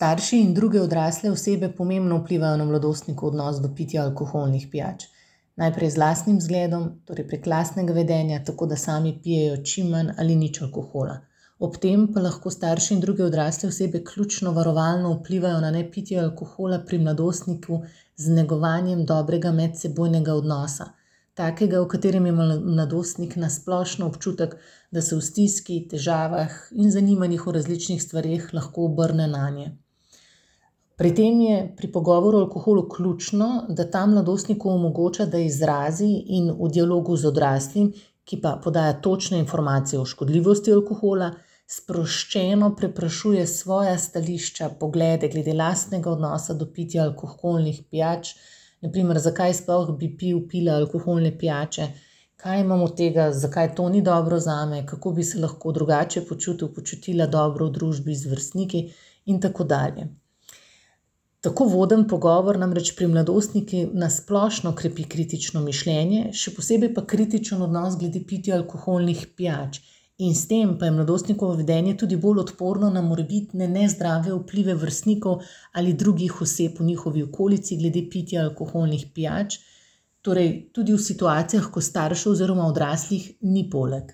Starši in druge odrasle osebe pomembno vplivajo na mladostnikov odnos do pitja alkoholnih pijač. Najprej z lastnim zgledom, torej prek lastnega vedenja, tako da sami pijejo čim manj ali nič alkohola. Ob tem pa lahko starši in druge odrasle osebe ključno varovalno vplivajo na nepitje alkohola pri mladostniku z negovanjem dobrega medsebojnega odnosa. Takega, v katerem ima mladostnik na splošno občutek, da se v stiski, težavah in zanimanjih o različnih stvareh lahko obrne nanje. Pri tem je pri pogovoru o alkoholu ključno, da ta mladostniku omogoča, da izrazi in v dialogu z odraslim, ki pa podaja točne informacije o škodljivosti alkohola, sproščeno preprašuje svoja stališča, poglede glede lastnega odnosa do pitja alkoholnih pijač, na primer, zakaj sploh bi pila alkoholne pijače, kaj imam od tega, zakaj to ni dobro zame, kako bi se lahko drugače počutila dobro v družbi z vrstniki in tako dalje. Tako voden pogovor namreč pri mladostnikih na splošno krepi kritično mišljenje, še posebej pa kritičen odnos glede pitja alkoholnih pijač. In s tem pa je mladostnikovo vedenje tudi bolj odporno na morebitne nezdrave vplive vrstnikov ali drugih oseb v njihovi okolici glede pitja alkoholnih pijač, torej tudi v situacijah, ko staršev oziroma odraslih ni poleg.